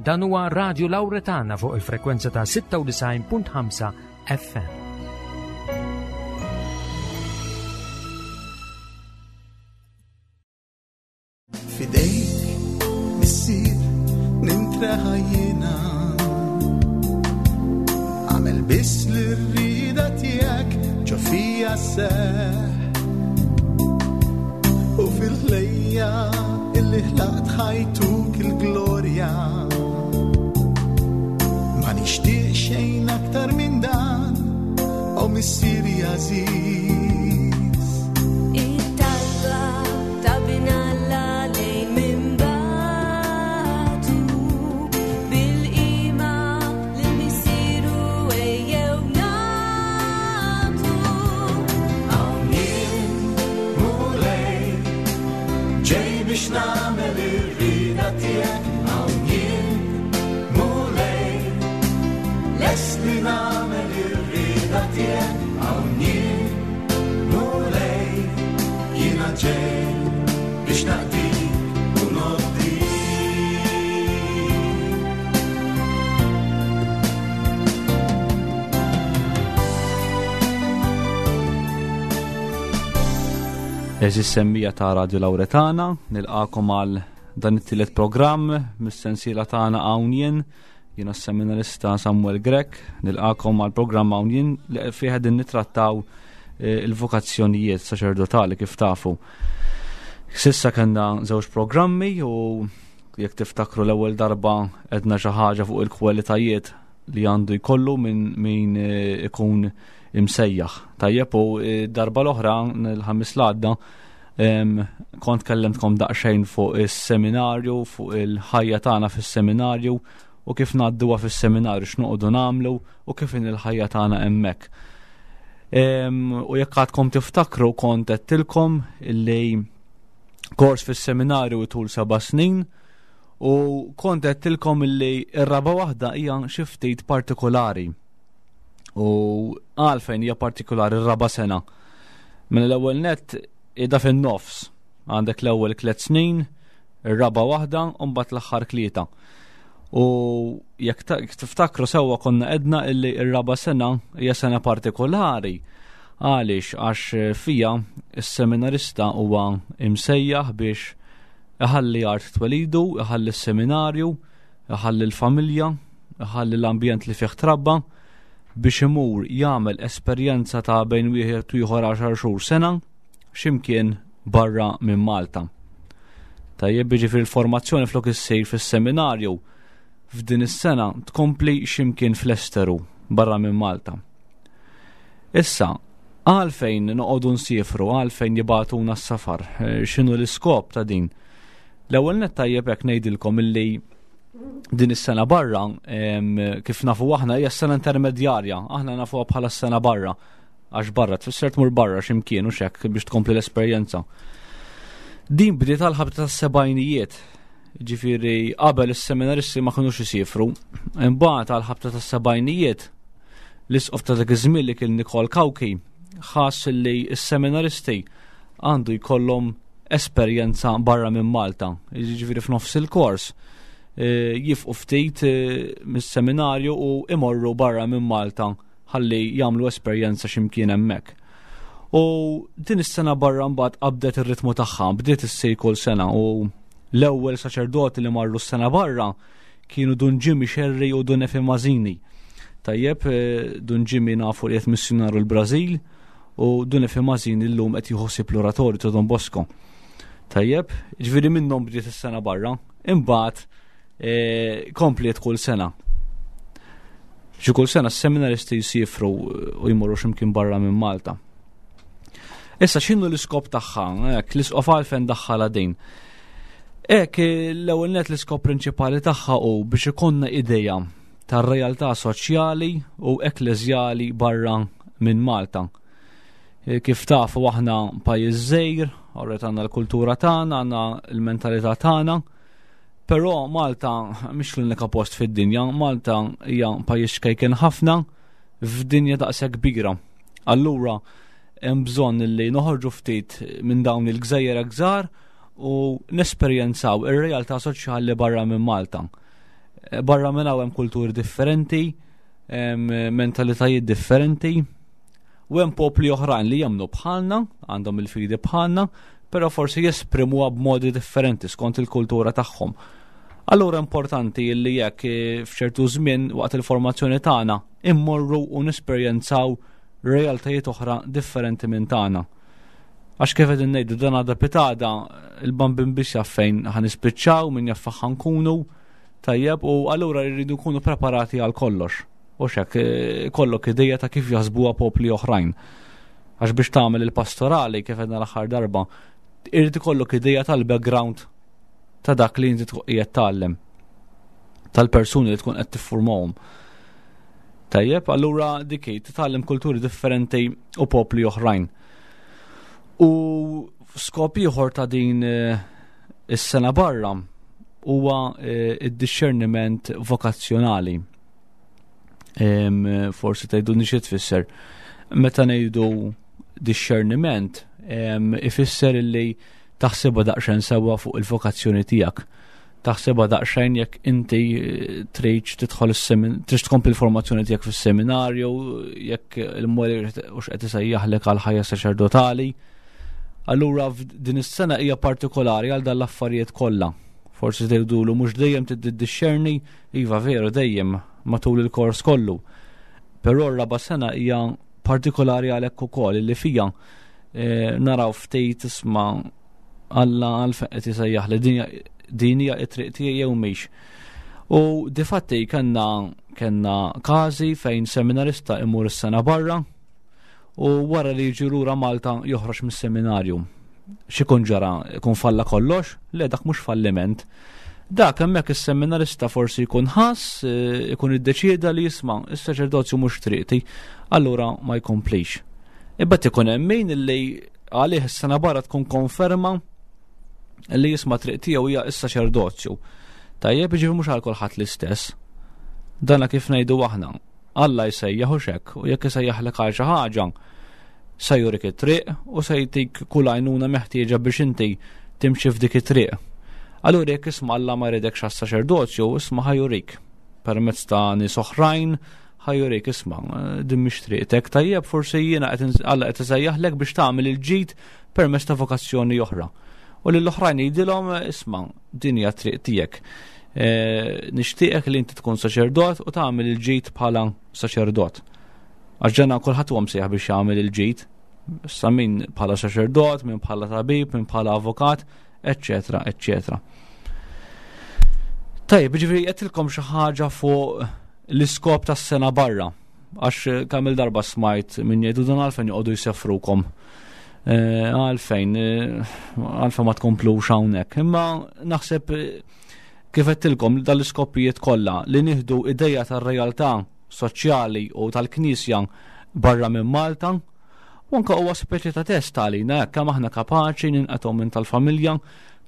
Dan huwa Radio Lauretana fuq il-frekwenza ta' 96.5 FM. Fidejk missier nintreħa jiena Għamel biss li rrida tiegħek ġo fija seħ U fil-ħlejja illi ħlaqt ħajtuk il-glorja Ma nixtieq xejn aktar minn dan O missieri għażiż It-talba ta' bin Alla lejn minn batu bil-qima lil missieru ejjew nagħtu. Hawn jien, Mulej, ġej biex nagħmel ir-rieda tiegħek. Hawn jien, Mulej, lest li nagħmel ir-rieda tiegħek. Hawn jien, Mulej, jiena ġej biex naqdik u noddik. Eżis semmija ta' Radio Lauretana, nilqakom għal dan it-tielet programm mis-sensiela tagħna hawn jien, jiena s-seminarista Samuel Grech, nilqakom għal programm hawn jien li fih qegħdin nittrattaw eh, il-vokazzjonijiet saċerdotali kif tafu. Sissa kellna żewġ programmi u jekk tiftakru l-ewwel darba edna xi ħaġa fuq il-kwalitajiet li għandu jkollu minn min eh, ikun imsejjaħ. Tajjeb u eh, darba l-oħra l-ħamis l-għadda kont kellemtkom daqsxejn fuq is-seminarju, fuq il-ħajja tagħna fis-seminarju u kif ngħadduha fis-seminarju x'noqogħdu nagħmlu u kif in il-ħajja tagħna hemmhekk. U jekk għadkom tiftakru kont għedtilkom illi kors fis-seminarju tul seba' snin u kont għedtilkom illi r-raba' waħda hija xi ftit partikolari. U għalfejn hija partikolari r-raba' sena. Mela l-ewwel nett qiegħda fin-nofs. Għandek l-ewwel tliet snin, ir-raba' waħda u mbagħad l-aħħar tlieta. U jekk tiftakru sewwa konna edna illi r-raba' sena hija sena partikolari. Għaliex għax fija s-seminarista huwa imsejjaħ biex iħalli art twelidu, iħalli s-seminarju, iħalli l-familja, iħalli l-ambjent li fih trabba biex imur jagħmel esperjenza ta' bejn wieħed u ieħor għaxar xhur sena x'imkien barra minn Malta. Tajjeb jiġifieri l-formazzjoni flok issir fis-seminarju f'din is-sena tkompli x'imkien fl-esteru barra minn Malta. Issa, għalfejn noqogħdu nsiefru, għalfejn jibagħtuna s-safar, eh, x'inhu l-iskop ta' din? L-ewwel nett tajjeb hekk ngħidilkom illi din is-sena barra kif nafu aħna hija s-sena intermedjarja, aħna nafuha bħala s-sena barra għax barra tfisser tmur barra x'imkien u xek biex tkompli l-esperjenza. Din bdiet għal ħabta tas-sebgħinijiet, ġifieri qabel is-seminaristi ma kinux isifru. Imbagħad għal ħabta tas-sebgħinijiet l-isqof ta' dak iż-żmien li kien Nikol Kawki ħass li s-seminaristi għandu jkollhom esperjenza barra minn Malta, jiġifieri f'nofs il-kors eh, jifqu ftit eh, mis-seminarju u imorru barra minn Malta ħalli jagħmlu esperjenza x'imkien hemmhekk. U din is-sena barra mbagħad qabdet ir-ritmu tagħha, bdiet issir kull sena u l-ewwel saċerdoti li marru s-sena barra kienu Dun Jimmy Scerri u Dun Efi Mażini. Tajjeb, eh, Dun Jimmy nafu li qed missjonaru l-Brażil, u Dun Efi Mażini llum qed jieħu ħsieb l-oratorju ta' Don Bosco. Tajjeb, ġifieri minnhom bdiet is-sena barra, imbagħad e, kompliet kull sena. Xi kull sena s-seminaristi jsifru u jmorru x'imkien barra minn Malta. Issa x'inhu l-iskop tagħha? Hekk l-isqof għalfejn daħħalha din. Hekk l-ewwel net l-iskop prinċipali tagħha hu biex ikollna idea tar-realtà soċjali u ekkleżjali barra minn Malta. E, kif tafu aħna pajjiż żgħir, orret għandna l-kultura tagħna, għandna l-mentalità tagħna, però Malta mhix l-unika post fid-dinja, Malta hija pajjiż xkejken ħafna f'dinja daqshekk kbira. Allura hemm bżonn li noħorġu ftit minn dawn il-gżejjer gżar u nesperjenzaw ir-realtà soċjali barra minn Malta. Barra minn hawn hemm kulturi differenti, mentalitajiet differenti, u hemm popli oħrajn li jemmnu bħalna, għandhom il-fidi bħalna, però forsi jesprimuha b'modi differenti skont il-kultura tagħhom. Allura importanti li jekk eh, f'ċertu żmien waqt il-formazzjoni tagħna immorru u nesperjenzaw realtajiet oħra differenti minn tagħna. Għax kif qegħdin ngħidu dan għadha pitada il-bambin biex jaf fejn ħanispiċċaw, min jaf fejn ħankunu, tajjeb, u allura rridu nkunu preparati għal kollox. U xek, eh, kollok ideja ta' kif jaħsbuha popli oħrajn. Għax biex tagħmel il-pastorali kif għedna l-aħħar darba, irid ikollok ideja tal-background ta' dak li inti tkun qiegħed tgħallem tal-persuni li tkun qed tiffurmahom. Tajjeb, allura dik hi, titgħallem kulturi differenti u popli oħrajn. U skop ieħor ta' din eh, is-sena barra huwa eh, id-discerniment vokazzjonali. Forsi tgħidu xi tfisser. Meta ngħidu discerniment, ifisser illi taħsibha daqsxejn sewwa fuq il-vokazzjoni tiegħek. Taħsibha daqsxejn jekk inti eh, tridx tidħol tridx tkompli l-formazzjoni tiegħek fis-seminarju, jekk il-Mulej hux qed isejjaħlek għal ħajja saċerdotali. Allura din is-sena hija partikolari għal dan l-affarijiet kollha. Forsi tgħidulu mhux dejjem tiddixxerni, iva veru dejjem matul il-kors kollu. Però r-raba' sena hija partikolari għalhekk ukoll li fija eh, naraw ftit isma' Alla għalfejn qed isejjaħ li din hija t-triq tiegħi jew mhix. U difatti kellna kellna każi fejn seminarista imur is-sena barra u wara li jiġi lura Malta joħroġ mis-seminarju. X'ikun ġara? Ikun falla kollox? Le dak mhux falliment. Dak hemmhekk is-seminarista forsi jkun ħass, eh, ikun iddeċieda li jisma' is-saċerdozju mhux triqti, allura ma jkomplix. Imbagħad ikun hemm min li għalih is-sena barra tkun konferma li jisma' triq tiegħu hija s-saċerdozju. Tajjeb, jiġifieri mhux għal kulħadd l-istess. Dana kif ngħidu aħna. Alla jsejjaħ u xek, u jekk isejjaħlek għal xi ħaġa, se jurik it-triq u se jtik kull għajnuna meħtieġa biex inti timxi f'dik it-triq. Allura jekk isma' Alla ma jridekx għas-saċerdozju, isma' ħa jurik permezz ta' nies oħrajn, ħa jurik isma' din mhix triqtek, tajjeb forsi jiena qed Alla qed isejjaħlek biex tagħmel il-ġid permezz ta' vokazzjoni oħra. U lil oħrajn jgħidilhom isma' din hija triq tiegħek. E, nixtieqek li inti tkun saċerdot u tagħmel il-ġid bħala saċerdot. Għax ġenna kulħadd huwa msejjaħ biex jagħmel il-ġid. Issa min bħala saċerdot, min bħala tabib, min bħala avukat, eccetera, eccetera. Tajjeb, ġifieri qedtilkom xi ħaġa fuq l-iskop tas-sena barra. Għax eh, kemm il-darba smajt minn jgħidu dan għalfejn joqogħdu jsefrukom. Eh, għalfejn, eh, għalfejn ma tkomplux hawnhekk. Imma naħseb kif qedtilkom dal-iskopijiet kollha li nieħdu ideja tar-realtà soċjali u tal-Knisja barra minn Malta, u anke huwa speċi ta' test għalina hekk kemm aħna kapaċi ninqatgħu minn tal-familja,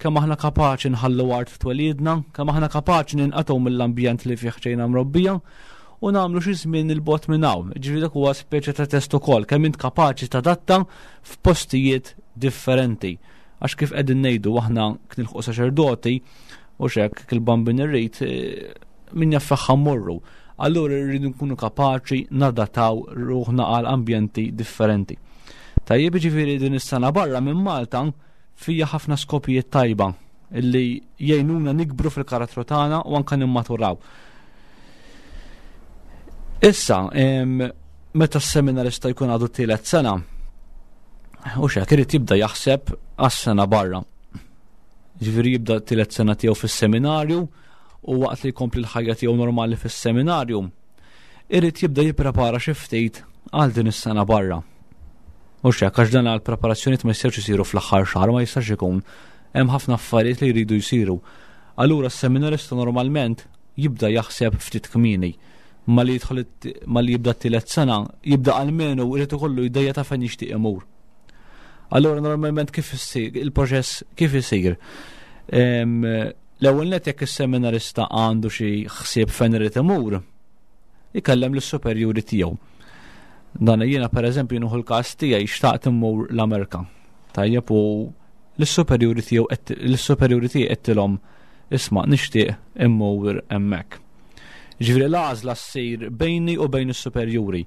kemm aħna kapaċi nħallu art twelidna, kemm aħna kapaċi ninqatgħu mill-ambjent li fih ġejna mrobbija u nagħmlu xi żmien il-bot minn hawn. Ġifieri dak huwa speċi ta' test ukoll kemm int kapaċi tadatta f'postijiet differenti. Għax kif qegħdin ngħidu aħna knilħuq saċerdoti u xek il-bambin irrid eh, min jaf fejn morru. Allura rridu nkunu kapaċi nadataw ruħna għal ambjenti differenti. Tajjeb ġifieri din is-sena barra minn Malta fija ħafna skopijiet tajba illi jgħinuna nikbru fil-karattru tagħna u anke nimmaturaw. Issa, meta s-seminarista jkun għadu t-tielet sena, u xek irid jibda jaħseb għas-sena barra. Ġifieri jibda t-tielet sena tiegħu fis-seminarju u waqt li jkompli l-ħajja tiegħu normali fis-seminarju, irid jibda jipprepara xi ftit għal din is-sena barra. U xek, għax dan għal preparazzjonijiet ma jistgħux isiru fl-aħħar xahar, ma jistax ikun. Hemm ħafna affarijiet li jridu jsiru. Allura s-seminarista normalment jibda jaħseb ftit kmieni. Ma li jidħol ma li jibda t-tielet sena, jibda almenu jrid ikollu ideja ta' fejn jixtieq imur. Allura normalment kif issir il-proċess kif isir? L-ewwel net jekk is-seminarista għandu xi ħsieb fejn irid imur, ikellem lis-superjuri tiegħu. Dan jiena pereżempju nieħu l-każ tiegħi xtaqt immur l-Amerika. Tajjeb u l-superjuri tiegħu l-superjuri tiegħi qedtilhom isma' nixtieq immur hemmhekk. Ġifieri l-għażla ssir bejni u bejn is-superjuri.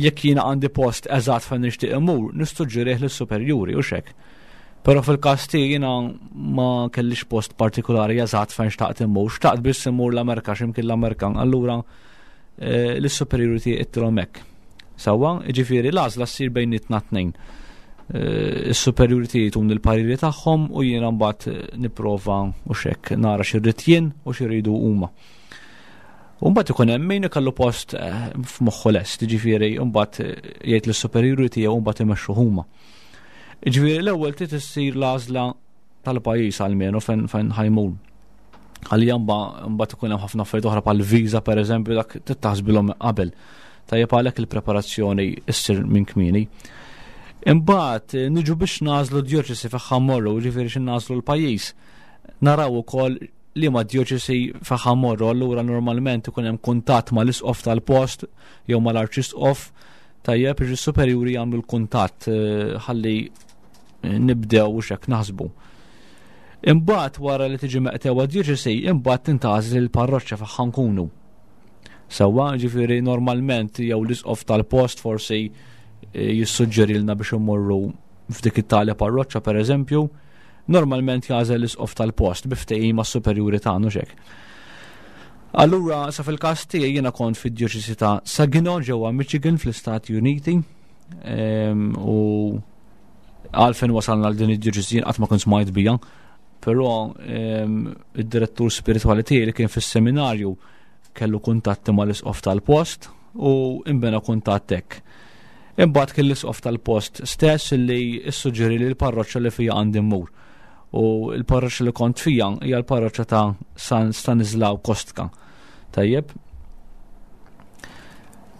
Jekk jiena għandi post eżatt fejn nixtieq immur, nissuġġerih lis-superjuri u xek. Però fil-każ tiegħi jiena ma kellix post partikolari eżatt fejn xtaqt immur, xtaqt biss immur l-Amerika x'imkien l-Amerika, allura eh, lis-superjuri tiegħi ittilhom hekk. Sewwa, jiġifieri l-għażla ssir bejnietna tnejn. Eh, is-superjuri tiegħi tun il-pariri tagħhom u jiena mbagħad eh, nipprova u xek nara x'irrid jien u x'iridu huma. U mbagħad ikun hemm min ikollu post eh, f'moħħu lest, jiġifieri mbagħad jgħid lis-superjuri tiegħu mbagħad imexxu huma. Jiġifieri l-ewwel trid issir l-għażla tal-pajjiż almenu fejn fejn ħajmur. Għalija mbagħad ikun hemm ħafna affarijiet oħra bħal viża pereżempju dak tittaħsbilhom qabel. Tajjeb għalhekk il-preparazzjoni issir minn kmieni. Imbagħad eh, niġu biex nażlu djoċesi fejn morru, ġifieri xi nażlu l-pajjiż. Naraw ukoll li ma djoċesi fejn morru, allura normalment ikun hemm kuntatt mal-isqof tal-post jew mal-arċisqof tajjeb biex is-superjuri jagħmlu l-kuntatt eh, ħalli eh, nibdew u xek naħsbu. Imbagħad wara li tiġi meqtewa djoċesi, imbagħad tintgħażel il-parroċċa fejn nkunu. Sewwa, ġifieri normalment jew l-isqof tal-post forsi eh, jissuġġerilna biex immorru f'dik it-tali parroċċa pereżempju, normalment jagħżel l-isqof tal-post bi ftehim mas-superjuri tagħna xek. Allura, sa fil-każ tiegħi jiena kont fid-djoċesi ta' Saginaw ġewwa Michigan fl-Istati Uniti ehm, u għalfejn wasalna għal din id-djoċesi jien qatt ma kont smajt bija, però ehm, id-direttur spiritwali tiegħi li kien fis-seminarju kellu kuntatti mal-isqof tal-post u imbena kuntatt hekk. Imbagħad kien l-isqof tal-post stess li ssuġġeri li l-parroċċa li fija għandi mmur. U l-parroċċa li kont fija hija l-parroċċa ta' San Stanislaw Kostka. Tajjeb.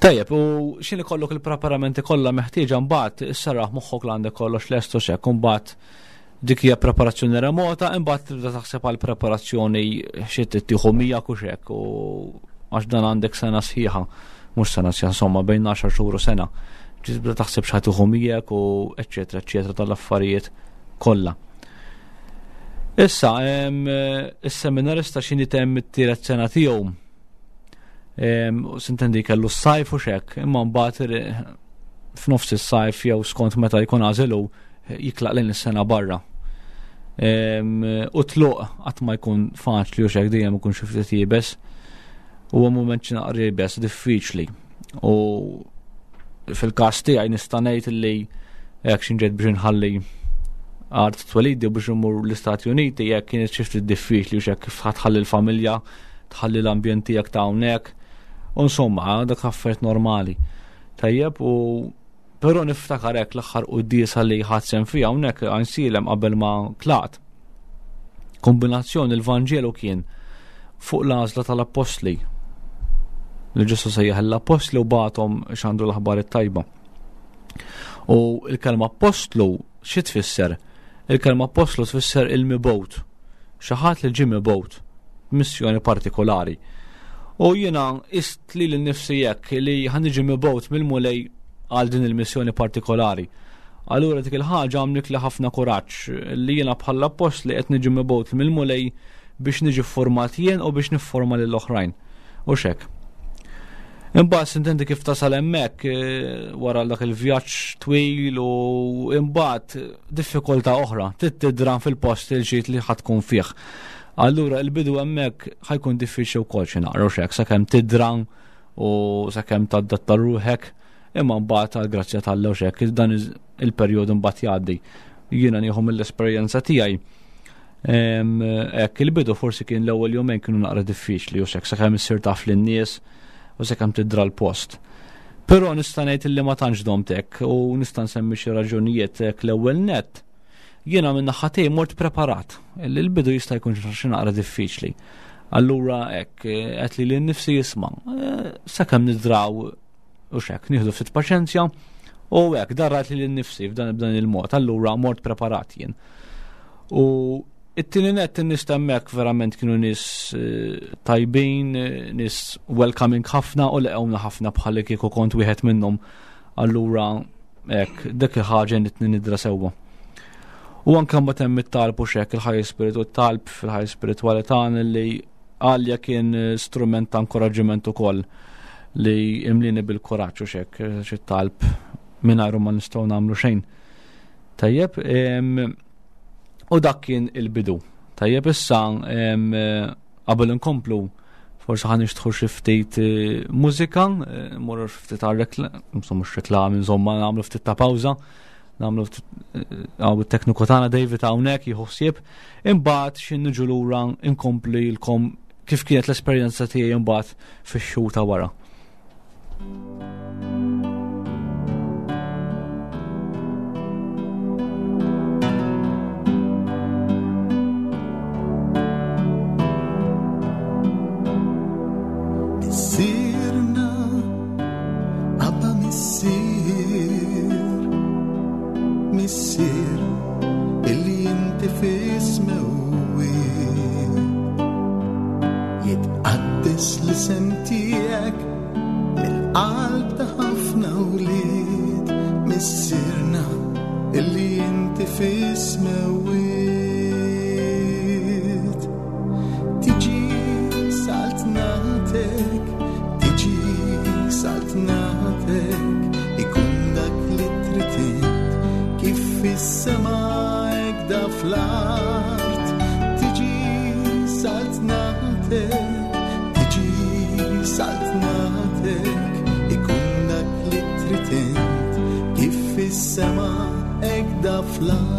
Tajjeb, u x'in ikollok il-preparamenti kollha meħtieġa mbagħad issarraħ moħħok l għandek kollox lest u xek, mbagħad Dik hija preparazzjoni remota, imbagħad tibda taħseb għal preparazzjoni xi tieħu miegħek u xek u għax dan għandek sena sħiħa, mhux sena sħiħa, insomma bejn 10 xhur u sena. Tibda taħseb x'ħa tieħu miegħek u eċċetera eċċetera tal-affarijiet kollha. Issa, is-seminarista x'inhi temm it-tielet sena tiegħu. Sintendi kellu s-sajf u xek, imma mbagħad f'nofs is-sajf jew skont meta jkun għażelu jitlaq lejn is-sena barra. U tluq qatt ma jkun faċli u xek dejjem ikun xi ftit jibes. Huwa mument xi naqra jibes diffiċli. U fil-każ tiegħi nista' ngħid li hekk xi ġejt biex inħalli art twelidi biex imur l-Istati Uniti jekk kienet xi ftit diffiċli u xek kif ħatħalli l-familja, tħalli l-ambjent tiegħek ta' hawnhekk. U insomma, dak affarijiet normali. Tajjeb u Però niftakar hekk l-aħħar quddiesa li ħadt sehem fiha hawnhekk Għajnsielem qabel ma tlaqt. Kombinazzjoni l-Vanġelu kien fuq l-għażla tal-appostli. Li Ġesu sejjaħ l-appostli u bagħathom xandu l-aħbar it-tajba. U l-kelma appostlu xi tfisser? Il-kelma appostlu tfisser il-mibgħut. Xi ħadd li ġie mibgħut missjoni partikolari. U jiena ist li l-nifsi jekk li ħaniġi mibgħut mill-Mulej għal din il-missjoni partikolari. Allura dik il-ħaġa għamlik li ħafna kuraġġ li jiena bħala appostli qed niġi mibgħut mill-Mulej biex niġi format jien u biex nifforma lil oħrajn. U xek. Imbagħad sintendi kif tasal hemmhekk eh, wara dak il-vjaġġ twil u imbagħad diffikultà oħra, trid tidran fil-post il-ġid li ħadd tkun fih. Allura il-bidu hemmhekk ħajkun diffiċli wkoll xi naqra u xek sakemm tidran u sakemm tadatta ruħek imma mbagħad għal grazzja tal u xek dan il-perjodu mbagħad jgħaddi. Jiena nieħu mill-esperjenza tiegħi. Hekk il-bidu forsi kien l-ewwel jumejn kienu naqra diffiċli u xek sakemm issir taf lin-nies u sakemm tidra l-post. Però nista' ngħid li ma tantx domt hekk u nista' nsemmi xi raġunijiet hekk l-ewwel nett. Jiena minn naħa tiegħi mort preparat li l-bidu jista' jkun xi naqra diffiċli. Allura hekk qed li lil nifsi jisma' eh, sakemm nidraw u xek nieħdu ftit paċenzja u hekk darrat li lil nifsi f'dan b'dan il-mod, allura mort preparat jien. U it-tieni nett in-nies hemmhekk verament kienu nies eh, tajbin, eh, nies welcoming ħafna u laqgħuna ħafna bħalli kieku kont wieħed minnhom. Allura hekk dik il-ħaġa nitni nidra sewwa. U anke mbagħad hemm it-talb u xek il-ħajja spiritu talb fil-ħajja spiritwali tagħna li għalja kien strument ta' inkoraġġiment ukoll li imlini bil-kuraġġ u xek, xi talb mingħajru ma nistgħu nagħmlu xejn. Tajjeb, u dak kien il-bidu. Tajjeb issa qabel inkomplu forsi ħan nixtħu xi ftit eh, mużika, eh, morru xi ftit għal insomma mhux reklami, insomma nagħmlu ftit ta' pawża, nagħmlu ftit eh, għaw it-tekniku tagħna David hawnhekk jieħu ħsieb, imbagħad xi niġu lura nkompli lkom kif kienet l-esperjenza tiegħi imbagħad fix-xhur ta' wara. Missierna, Abba missier, missier, illi inti fis-smewwiet. Jitqaddes l-isem tiegħek mill-qalb ta' ħafna wlied, missierna illi inti fis-smewwiet. Tiġi saltnatek, tiġi saltnatek, ikun dak li trid int, kif fis-sema hekk da fl-art. Tiġi saltnatek, tiġi saltnatek, ikun dak li trid int, kif fis-sema hekk da fl-art.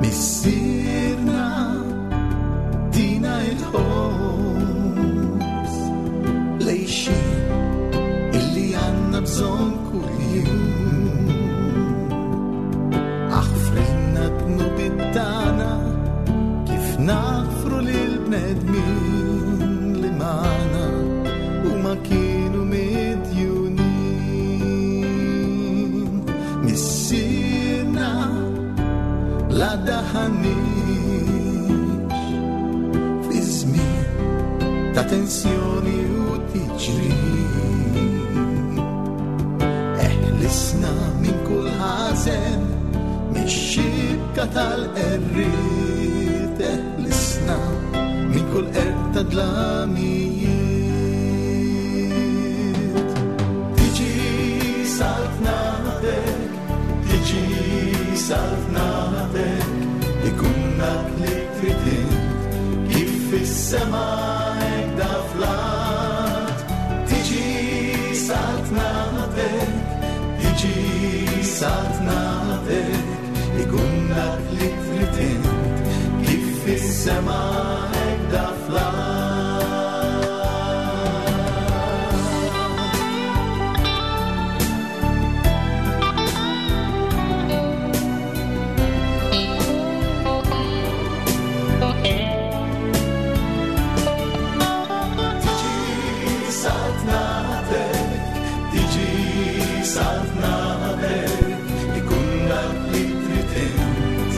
Missierna tina il-ħobż lejxin illi għandna bżonn kuljum. Aħfrilna dnubiet tagħna kif naħfru lil bnedmin li magħna huma kienu midjunin. Missierna la daħanix fi żmien ta' tensjoni u tiġrib. Eħlisna minn kull ħażen, mix-xibka tal-qerriet, eħlisna minn kull qerq ta' dlamijiet. Tiġi saltnatek, tiġi saltnatek, ikun dak li trid int, kif fis-sema hekk da fl-art. Tiġi saltnatek, tiġi saltnatek, ikun dak li trid int, kif fis-sema hekk da fl-art. Tiġi saltnatek, tiġi saltnatek, ikun dak li trid int,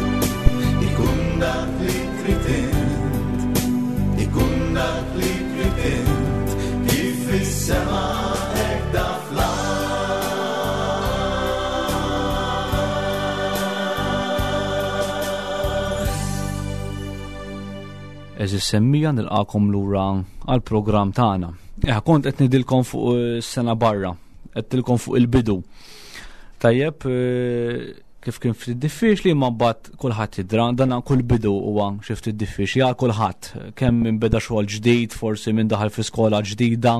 ikun dak li trid int, ikun dak li trid int, kif fis-sema hekk da fl-art. Eżis semmija nilqakom lura għal-programm tagħna. Kont qed nidilkom fuq sena barra, qed tilkom fuq il-bidu. Tajjeb, kif kien ftit diffiċli, ma mbagħad kulħadd jidra, dan kull bidu huwa xi ftit diffiċli għal kulħadd, kemm minn beda xogħol ġdid, forsi minn daħal fi skola ġdida,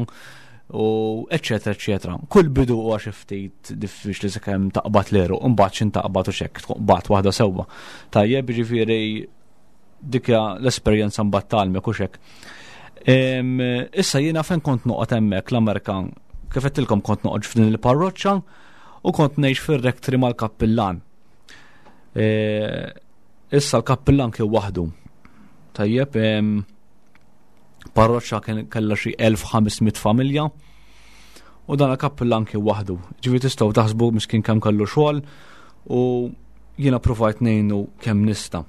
u eċċetera, eċċetera. Kull bidu huwa xi ftit diffiċli sakemm taqbad l-għeruq, u mbagħad x'in taqbad u x'hekk, tkun qbad waħda sewwa. Tajjeb, jiġifieri dik hija l-esperjenza mbagħad tgħallmek u x'hekk. Issa jiena fejn kont noqgħod hemmhekk l-Amerika, kif għedtilkom kont noqgħod f'din il-parroċċa u kont ngħix fir-rektri mal-kappillan. Issa l-kappillan kien waħdu. Tajjeb, parroċċa kien kellha xi 1500 familja u dan il-kappillan kien waħdu. Ġifieri tistgħu taħsbu miskin kemm kellu xogħol u jiena provajt ngħinu kemm nista'.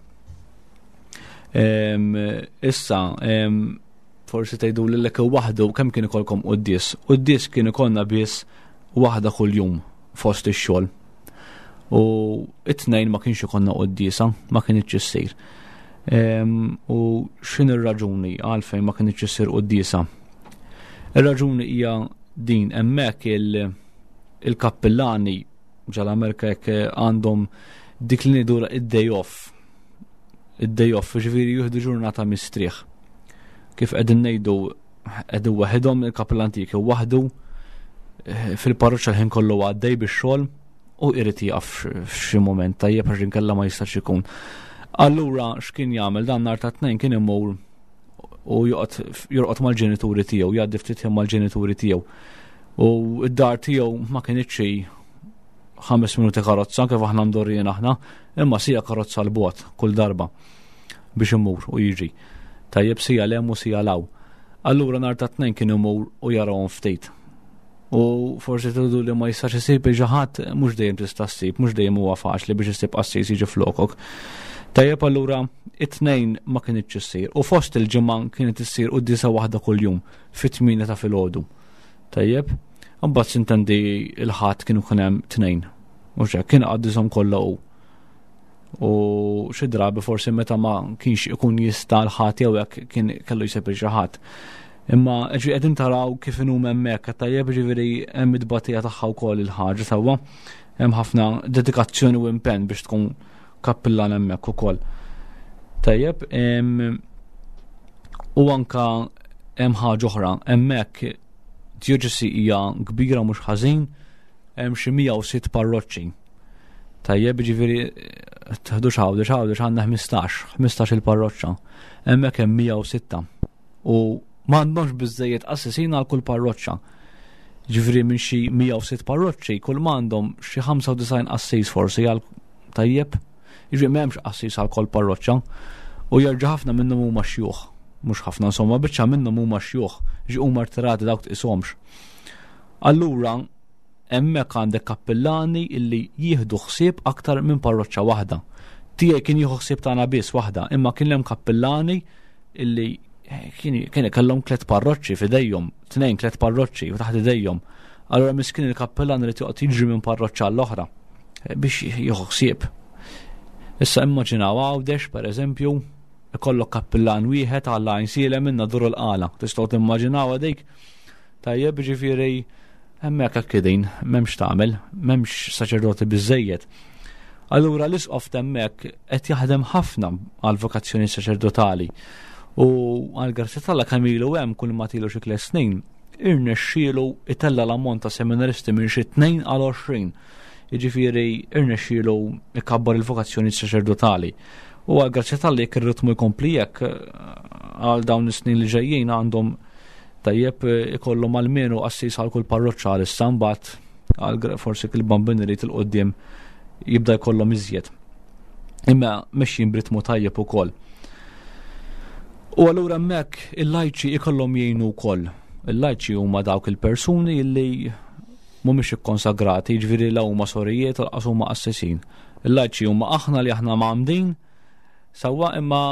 Issa, forsi tgħidu lilek waħdu kemm kien ikolkom quddies. Quddies kien ikollna biss waħda kuljum fost ix-xogħol. U it-tnejn ma kienx ikollna quddiesa, ma kienx issir. U x'in ir-raġuni għalfejn ma kienx issir quddiesa? Ir-raġuni hija din hemmhekk il-kappillani ġal-Amerika jekk għandhom dik li ngħidu id-day off. Id-day off, ġifieri jieħdu ġurnata mistrieħ. Kif qegħdin ngħidu qegħdin waħedhom il-kappillan tiegħek waħdu eh, fil-parroċċa l-ħin kollu għaddej bix-xogħol u irid jieqaf f'xi mument tajjeb għax inkella ma jistax ikun. Allura x'kien jagħmel dan nhar ta' tnejn kien imur u jorqod mal-ġenituri tiegħu, jgħaddi ftit ħin mal-ġenituri tiegħu. U d-dar tiegħu ma kienx xi ħames minuti karozza kif aħna mdorrijin aħna, imma sija karozza l-bogħod kull darba biex imur u jiġi. Tajjeb sija lem u sija law. Allura nhar ta' tnejn kien imur u jarahom ftit. U forsi tridu li ma jistax isib xi ħadd mhux dejjem tista' ssib, mhux dejjem huwa faċli biex issib qassis jiġi flokok. Tajjeb allura it-tnejn ma kinitx issir u fost il-ġimgħa kienet issir quddiesa waħda kuljum fit-8 ta' filgħodu. Tajjeb, imbagħad sintendi il-ħadd kienu kien hemm tnejn. Mhux hekk kien qaddishom kollha hu. U xi drabi forsi meta ma kienx ikun jista' l-ħadd jew hekk kien kellu jsib xi ħadd. Imma ġi qegħdin taraw kif inhum hemmhekk, tajjeb ġifieri hemm it-tbatija tagħha wkoll il-ħaġa sewwa. Hemm ħafna dedikazzjoni u impenn biex tkun kappillan hemmhekk ukoll. Tajjeb, u anka hemm ħaġa oħra, hemmhekk djoċesi hija kbira mhux ħażin, hemm xi 106 parroċċi. Tajjeb, ġifieri tħdux Għawdex, Għawdex għandna 15, 15 il-parroċċa. Hemmhekk hemm 106. U m'għandhomx biżejjed qassisin għal kull parroċċa. Ġifieri minn xi 106 parroċċi, kull m'għandhom xi 95 qassis forsi għal tajjeb. Ġifieri m'hemmx qassis għal kull parroċċa. U jerġa' ħafna minnhom huma xjuħ. Mhux ħafna insomma, biċċa minnhom huma xjuħ, ġi huma rtirati dawk tqishomx. Allura, hemmhekk għandek kappillani illi jieħdu ħsieb aktar minn parroċċa waħda. Tiegħi kien jieħu ħsieb tagħna biss waħda, imma kien hemm kappillani illi eh, kien kellhom tliet parroċċi f'idejhom, tnejn tliet parroċċi u taħt idejhom. Allura miskin il-kappillan irid joqgħod jiġri minn parroċċa għall-oħra eh, biex jieħu ħsieb. Issa immaġinaw Għawdex, per eżempju, ikollok kappillan wieħed għal għajnsielem minna dur il-qala. Tistgħu timmaġinaw dik Tajjeb, ġifieri hemmhekk hekk qegħdin, m'hemmx tagħmel, m'hemmx saċerdoti biżejjed. Allura l-isqof t'hemmhekk qed jaħdem ħafna għal vokazzjoni saċerdotali. U għal grazzja tal kemm ilu hemm kull ma tilu xi tliet snin, irnexxielu itella l-ammont ta' seminaristi minn xi tnejn għal 20. Jiġifieri irnexxielu ikabbar il-vokazzjoni saċerdotali. U għal grazzja tal jekk ir-ritmu jkompli hekk għal dawn is-snin li ġejjin għandhom Tajjeb ikollhom almenu qassis għal kull parroċċa għalissa mbagħad għal forsi il-bambin irid il-qudiem jibda jkollhom iżjed. Imma mexjin b'ritmu tajjeb ukoll. U allura hemmhekk il-lajċi ikollhom jgħinu wkoll. Il-lajċi huma dawk il-persuni li mhumiex ikkonsagrati, jiġifieri la huma sorijiet u laqas huma qassisin. Il-lajċi huma aħna li aħna mgħammdin sewwa imma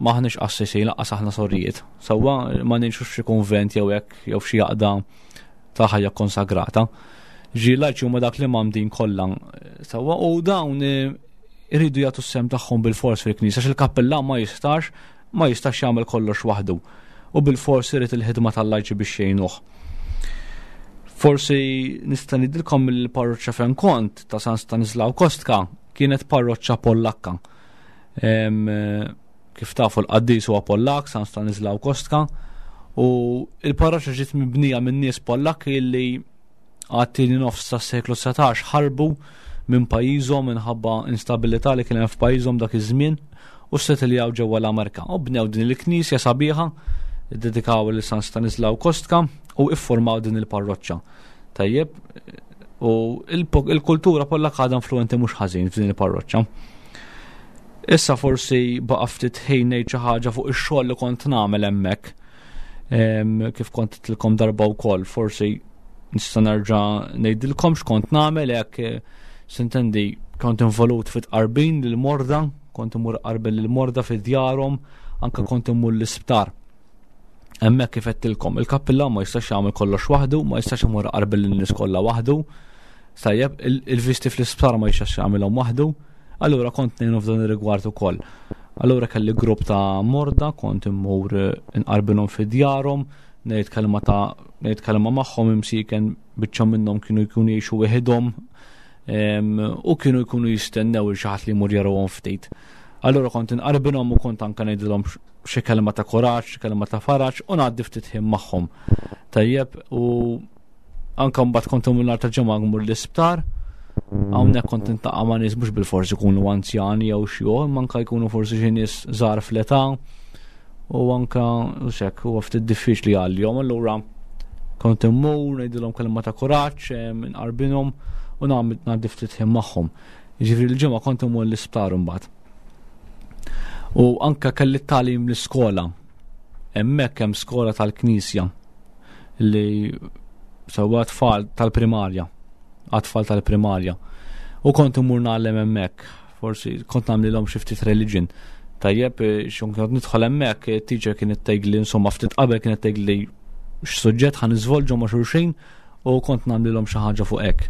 M'aħniex qassisin lanqas aħna sorijiet. Sewwa ma ngħixux f'xi kunvent jew hekk jew f'xi għaqda ta' ħajja konsagrata. Ġi lajċi huma dak li m'għamdin kollha. Sewwa u dawn eh, iridu jagħtu s-sem tagħhom bil-fors fil-knisja għax il-kappellan ma jistax ma jistax jagħmel kollox waħdu. U bil-fors irid il-ħidma tal-lajċi biex jgħinuh. Forsi nista' ngħidilkom il-parroċċa fejn kont ta' San Stanislaw Kostka kienet parroċċa Pollakka. Kif tafu l-qaddis huwa Pollak, San Stanislaw Kostka, u il-parroċċa ġiet mibnija minn nies Pollakki li għat-tieni nofs tas-seklu 19 ħarbu minn pajjiżhom minħabba instabilità li kien hemm f'pajjiżhom dak iż-żmien u settiljaw ġewwa l-Amerika. U bnew din il-knisja sabiħa, iddedikaw lil San Stanislaw Kostka u iffurmaw din il-parroċċa. Tajjeb, u il-kultura Pollakka għadha influenti mhux ħażin f'din il-parroċċa. Issa forsi baqa' ftit ħin ngħid xi ħaġa fuq ix-xogħol li kont nagħmel hemmhekk. Kif kont tilkom darba wkoll, forsi nista' nerġa' ngħidilkom x'kont nagħmel hekk eh, sintendi kont involut fit qarbin lil morda, kont imur qarbin lil morda fi djarhom, anke kont imur l-isptar. Hemmhekk kif għedtilkom, il-kappillan ma jistax jagħmel kollox waħdu, ma jistax imur qarbin lin-nies kollha waħdu. Tajjeb, il-visti fl-isptar ma jistax jagħmilhom waħdu, allura kont ngħinu f'dan ir-rigward ukoll. Allura kelli grupp ta' morda, kont immur eh, inqarbinhom fi djarhom, ngħid kelma ta' ngħid kelma magħhom imsiken biċċa minnhom kienu jkunu jgħixu weħidhom u kienu jkunu jistennew il xi ħadd li jmur jarawhom ftit. Allura kont inqarbinhom u kont anke ngħidilhom xi kelma ta' kuraġġ, xi kelma ta' faraġ u ngħaddi ftit ħin magħhom. Tajjeb u anke mbagħad kont imur nhar ta' ġimgħa nmur l-isptar, hawnhekk kont intaqa' ma' nies mhux bil-forsi jkunu anzjani jew xi imma anke jkunu forsi xi nies żgħar fl-età u anke u xek huwa ftit diffiċli għalihom allura kont immur ngħidilhom kelma ta' kuraġġ, inqarbinhom u nagħmel ngħaddi ftit ħin magħhom. Jiġifieri l-ġimgħa kont imur l-isptar imbagħad. U anka kelli tagħlim l-iskola. Hemmhekk hemm skola tal-Knisja li sewwa tfal tal-primarja, għat-tfal tal-primarja. U kont imur nagħlem hemmhekk, forsi kont nagħmlilhom xi ftit religion. Tajjeb, eh, xon kont nidħol hemmhekk, eh, teacher kienet tgħidli insomma ftit qabel kienet tgħidli x'suġġett ħa niżvolġu ma' xulxin u kont nagħmlilhom xi ħaġa fuq hekk.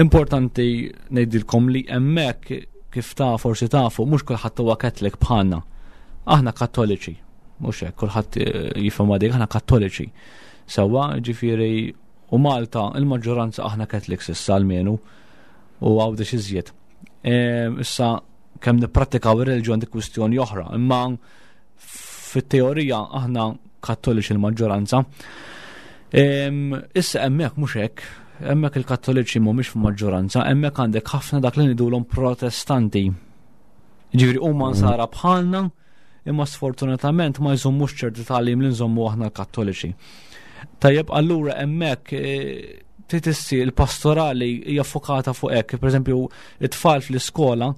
Importanti ngħidilkom li hemmhekk kif ta' forsi tafu mhux kulħadd huwa Catholic bħalna. Aħna Kattoliċi, mhux hekk kulħadd eh, jifhem dik aħna Kattoliċi. Sewwa, ġifieri u Malta il-maġġoranza aħna Catholics issa almenu u Għawdex iżjed. Ehm, issa kemm nipprattikaw ir-reliġjon dik kwistjoni oħra, imma fit-teorija aħna kattoliċi l-maġġoranza. Issa hemmhekk mhux hekk, hemmhekk il-kattoliċi mhumiex f'maġġoranza, hemmhekk għandek ħafna dak li ngħidulhom protestanti. Ġifieri huma nsara bħalna, imma sfortunatament ma jżommux ċerti tagħlim li nżommu aħna l-kattoliċi. Tajjeb, allura hemmhekk eh, trid issir il-pastorali hija fokata fuq hekk, pereżempju it-tfal fl-iskola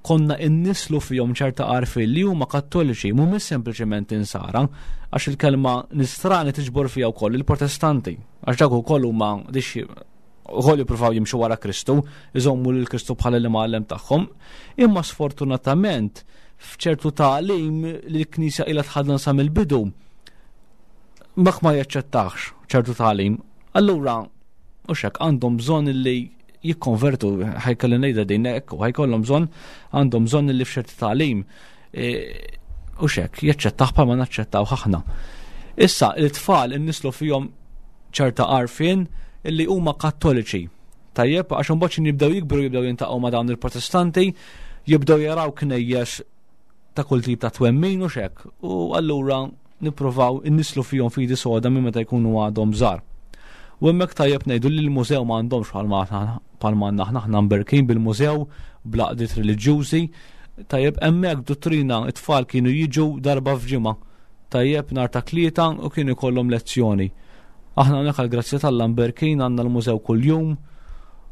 konna innislu fihom ċerta għarfien li huma kattoliċi, mhumiex sempliċement insara, għax il-kelma nisrani tiġbor fiha wkoll il-protestanti, għax dak ukoll huma dixxi ukoll jippruvaw jimxu wara Kristu, iżommu lil Kristu bħala l-imgħallem tagħhom, imma sfortunatament f'ċertu tagħlim li l-Knisja ilha tħaddan sa mill-bidu mak ma jaċċettax ċertu tagħlim. Allura, u xek għandhom bżonn li jikkonvertu, ħajkolli ngħidha din hekk, u ħajkollhom bżonn għandhom bżonn li f'ċerti tagħlim e, u xek, jaċċettaw bħalma naċċettaw aħna. Issa, il-tfal innislu fihom ċerta għarfien illi huma kattoliċi. Tajjeb, għax imbagħad jibdew jikbru jibdew jintaqgħu ma' dawn il-protestanti, jibdew jaraw knejjes ta' kull tip ta' twemmin u xek. U allura nippruvaw innislu fihom fidi soda minn meta jkunu għadhom żgħar. U hemmhekk tajjeb ngħidu li l-mużew ma għandhomx bħalma bħalma għandna aħna aħna mberkin bil-mużew bl-għaqdiet reliġjużi. Tajjeb hemmhekk duttrina it-tfal kienu jiġu darba f'ġimgħa. Tajjeb nhar ta' tlieta u kienu jkollhom lezzjoni. Aħna hawnhekk għall-grazzja t'Alla mberkin għandna l-mużew kuljum.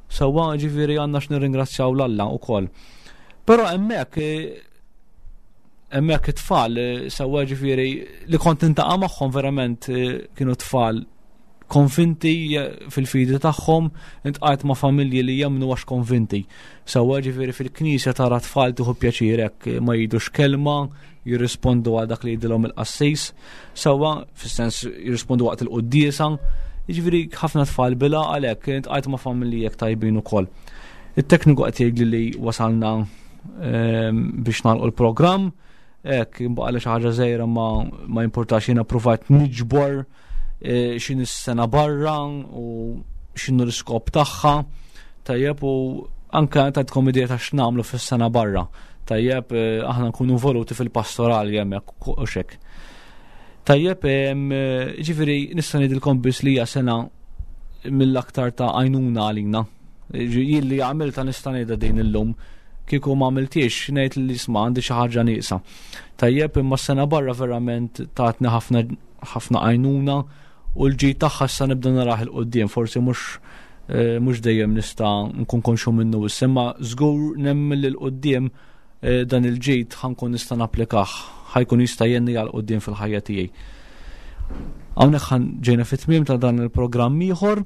Sewwa ġifieri għandna x'nirringrazzjaw 'l Alla wkoll. Però hemmhekk eh, hemmhekk it-tfal eh, sewwa ġifieri li kont intaqa' magħhom verament eh, kienu tfal konvinti eh, fil-fidi tagħhom, intqajt ma' familji li jemmnu għax konvinti. Sewwa ġifieri fil-knisja tara tfal tieħu pjaċir hekk ma jgħidux kelma, jirrispondu għal dak li jgħidilhom il-qassis, sewwa fis-sens jirrispondu waqt il-quddiesa. Jiġifieri ħafna tfal bila għalhekk intqajt ma' familji hekk tajbin ukoll. It-tekniku qed jgħidli li wasalna biex nagħlqu l-programm, hekk baqa' li xi ħaġa żgħira ma ma jimpurtax jiena ppruvajt niġbor e, x'inhi s-sena barra u x'inhu l-iskop tagħha. Tajjeb u anke tajtkom idea ta' x'nagħmlu fis-sena barra. Tajjeb e, aħna nkunu involuti fil-pastorali hemmhekk u xek. Tajjeb, ġifieri nista' ngħidilkom biss li hija sena mill-aktar ta' għajnuna għalina. Jien li għamilta nista' ngħidha din illum kieku ma għamiltiex ngħid li isma' għandi xi ħaġa nieqsa. Tajjeb imma s-sena barra verament tatni ħafna ħafna għajnuna u l-ġid tagħha issa nibda narah il-qudiem, forsi mhux eh, mhux dejjem nista' nkun konxu minnu issa, imma żgur nemmen li l-qudiem eh, dan il-ġid ħankun nista' napplikah, ħajkun jista' jenni għal qudiem fil-ħajja tiegħi. Hawnhekk ġejna fit-tmiem ta' dan il-programm ieħor.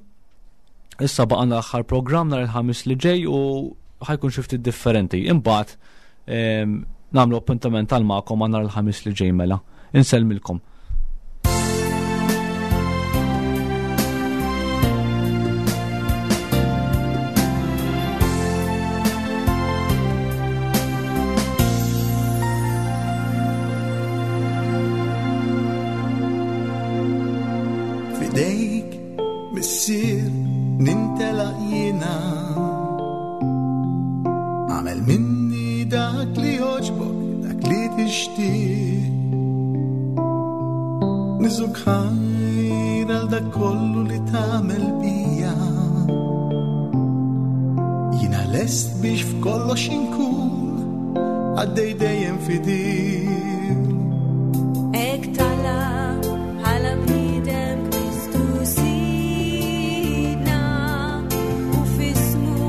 Issa baqgħna l-aħħar programm nhar il-ħamis li ġej u ħajkun xi ftit differenti. Imbagħad ehm, nagħmlu appuntament tal magħkom għal nhar il-ħamis li ġej mela. Insellmilkom. Missier, nintelaq jiena. Għamel minni dak li joġbok, dak li tixtieq. Niżuk ħajr għal dak kollu li tagħmel bija. Jiena lest biex f'kollox inkun għaddej dejjem fidil. Hekk talab bħala bniedem Kristu Sidna u f'ismu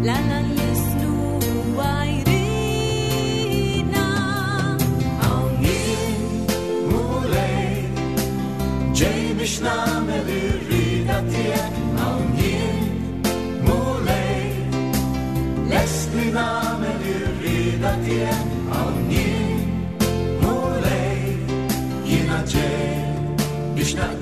l-Alla nlissnu huwa jridna. Hawn jien, Mulej, ġej biex nagħmel ir-rieda tiegħek. Hawn jien, Mulej, lest li nagħmel ir-rieda tiegħek. Hawn jien, Mulej, jiena ġej biex naqdik.